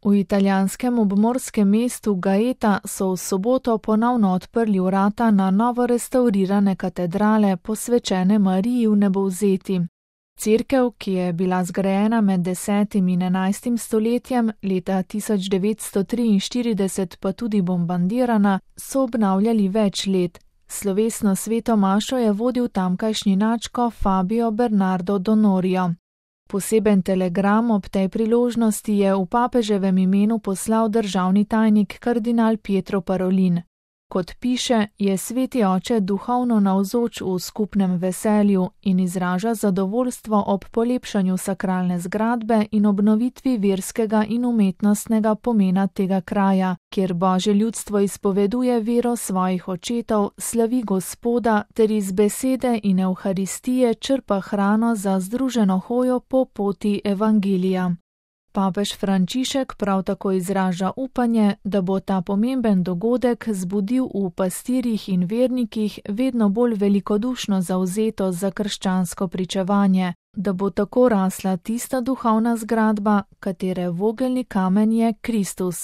V italijanskem obmorskem mestu Gaeta so v soboto ponovno odprli vrata na novo restavrirane katedrale, posvečene Mariji Vnebovzeti. Cerkev, ki je bila zgrajena med 10. in 11. stoletjem, leta 1943 pa tudi bombardirana, so obnavljali več let. Slovesno sveto mašo je vodil tamkajšnji nadškof Fabio Bernardo Donorio. Poseben telegram ob tej priložnosti je v papeževem imenu poslal državni tajnik kardinal Pietro Parolin. Kot piše, je sveti oče duhovno navzoč v skupnem veselju in izraža zadovoljstvo ob polepšanju sakralne zgradbe in obnovitvi verskega in umetnostnega pomena tega kraja, kjer Božje ljudstvo izpoveduje vero svojih očetov, slavi Gospoda ter iz besede in evharistije črpa hrano za združeno hojo po poti evangelija. Papež Frančišek prav tako izraža upanje, da bo ta pomemben dogodek zbudil v pastirjih in vernikih vedno bolj velikodušno zavzetost za krščansko pričevanje, da bo tako rasla tista duhovna zgradba, katere vogelni kamen je Kristus.